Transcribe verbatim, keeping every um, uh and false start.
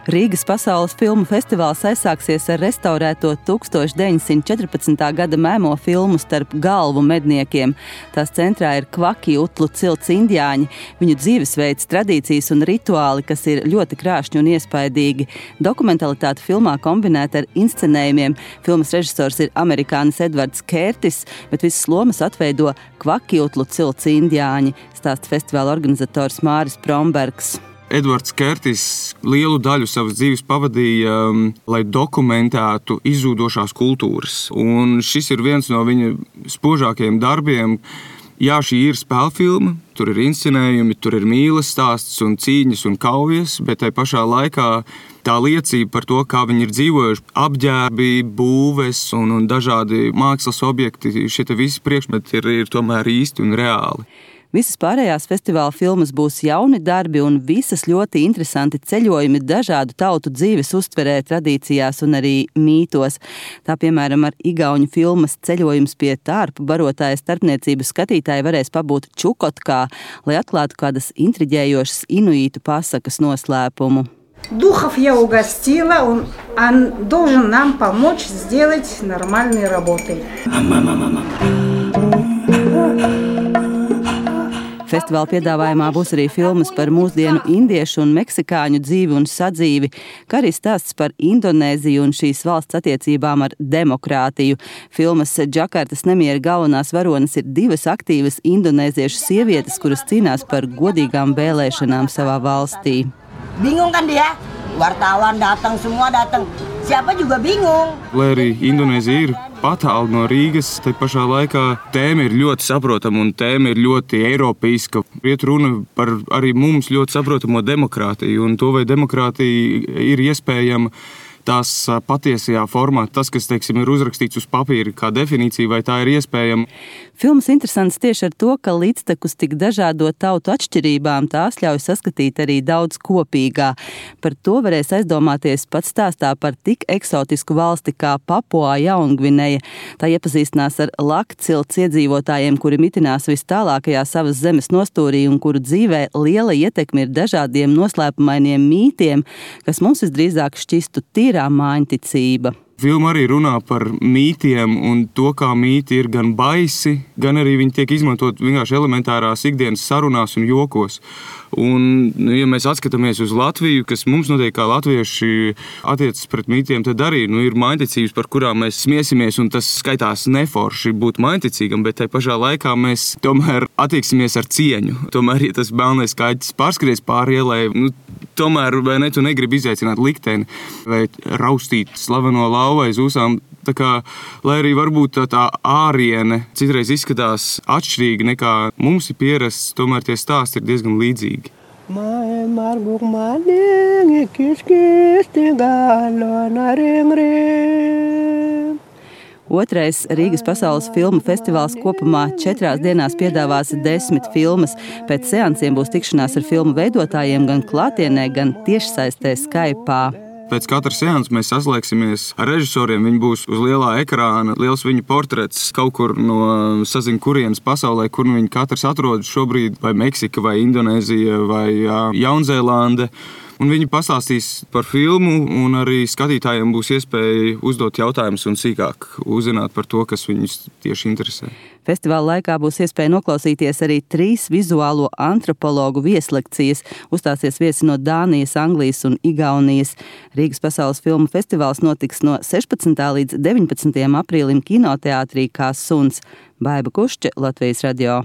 Rīgas pasaules filmu festivāls aizsāksies ar restaurēto tuksstoš deviņsimt četrpadsmitā gada mēmo filmu Starp galvu medniekiem. Tās centrā ir kvaki utlu cilts indiāņi, viņu dzīvesveids, tradīcijas un rituāli, kas ir ļoti krāšņi un iespaidīgi. Dokumentalitāte filmā kombinēta ar inscenējumiem. Filmas režisors ir amerikānis Edvards Kērtis, bet visas lomas atveido kvaki utlu cilts indiāņi, stāsta festivāla organizators Māris Prombergs. Edvards Kērtis lielu daļu savas dzīves pavadīja, um, lai dokumentētu izzūdošās kultūras. Un šis ir viens no viņa spožākajiem darbiem. Jā, šī ir spēlfilma, tur ir inscenējumi, tur ir mīles stāsts un cīņas un kaujas, bet tai pašā laikā tā liecība par to, kā viņi ir dzīvojuši, apģērbi, būves un, un dažādi mākslas objekti, šie visi priekšmeti ir, ir tomēr īsti un reāli. Visas pārējās festivāla filmas būs jauni darbi un visas ļoti interesanti ceļojumi dažādu tautu dzīves uztverē, tradīcijās un arī mītos. Tā, piemēram, ar igauņu filmas Ceļojums pie tārpu barotāja starpniecības skatītāji varēs pabūt Čukotkā, lai atklātu kādas intriģējošas inuītu pasakas noslēpumu. Духов я угостила, он, он должен нам помочь сделать нормальной работой. Festivāla piedāvājumā būs arī filmas par mūsdienu indiešu un meksikāņu dzīvi un sadzīvi, kā arī stāsts par Indonēziju un šīs valsts attiecībām ar demokrātiju. Filmas Džakartas nemiera galvenās varonas ir divas aktīvas indonēziešu sievietes, kuras cīnās par godīgām vēlēšanām savā valstī. Bingung kan dia? Wartawan datang, semua datang. Siapa juga bingung. Lai arī Indonēzija ir patālu no Rīgas, tai pašā laikā tēma ir ļoti saprotama un tēma ir ļoti eiropeiska. Iet runa par arī mums ļoti saprotamo demokrātiju un to, vai demokrātija ir iespējama tās patiesajā formā, tas, kas, teiksim, ir uzrakstīts uz papīra kā definīcija, vai tā ir iespējama. Filmas interesants tieši ar to, ka līdztekus tik dažādo tautu atšķirībām tās ļauj saskatīt arī daudz kopīgā. Par to varēs aizdomāties pats stāstā par tik eksotisku valsti kā Papua Jaungvineja. Tā iepazīstinās ar lakcilts iedzīvotājiem, kuri mitinās vis tālākajā savas zemes nostūrī un kuru dzīvē liela ietekme ir dažādiem noslēpumainiem mītiem, kas mums visdrīzāk šķistu tīrā māņticība. Filma arī runā par mītiem un to, kā mīti ir gan baisi, gan arī viņi tiek izmantot vienkārši elementārās ikdienas sarunās un jokos. Un, ja mēs atskatāmies uz Latviju, kas mums noteikti kā latvieši attiecas pret mītiem, tad arī nu, ir māņticības, par kurām mēs smiesimies, un tas skaitās neforši būt māņticīgam, bet tai pašā laikā mēs tomēr attieksimies ar cieņu. Tomēr, ja tas melnais kaķis pārskries pāri ielai, nu, tomēr vai ne, tu negribi izaicināt likteni vai raustīt slaveno lauvu aiz ūsām. Tā kā, lai arī varbūt tā, tā āriene citreiz izskatās atšķirīgi nekā mums ir pierasts, tomēr tie stāsti ir diezgan līdzīgi. Otrais Rīgas pasaules filmu festivāls kopumā četrās dienās piedāvās desmit filmas. Pēc seansiem būs tikšanās ar filmu veidotājiem gan klātienē, gan tiešsaistē Skype'ā. Pēc katras seanses mēs saslēgsimies ar režisoriem. Viņi būs uz lielā ekrāna, liels viņu portrets kaut kur no sazin kurienes pasaulē, kur viņi katrs atrodas šobrīd, vai Meksika, vai Indonēzija, vai Jaunzēlande. Un viņi pastāstīs par filmu, un arī skatītājiem būs iespēja uzdot jautājumus un sīkāk uzzināt par to, kas viņus tieši interesē. Festivāla laikā būs iespēja noklausīties arī trīs vizuālo antropologu vieslekcijas. Uzstāsies viesi no Dānijas, Anglijas un Igaunijas. Rīgas pasaules filmu festivāls notiks no sešpadsmitā līdz deviņpadsmitajam aprīlim kinoteātrī Kā suns. Baiba Kušče, Latvijas radio.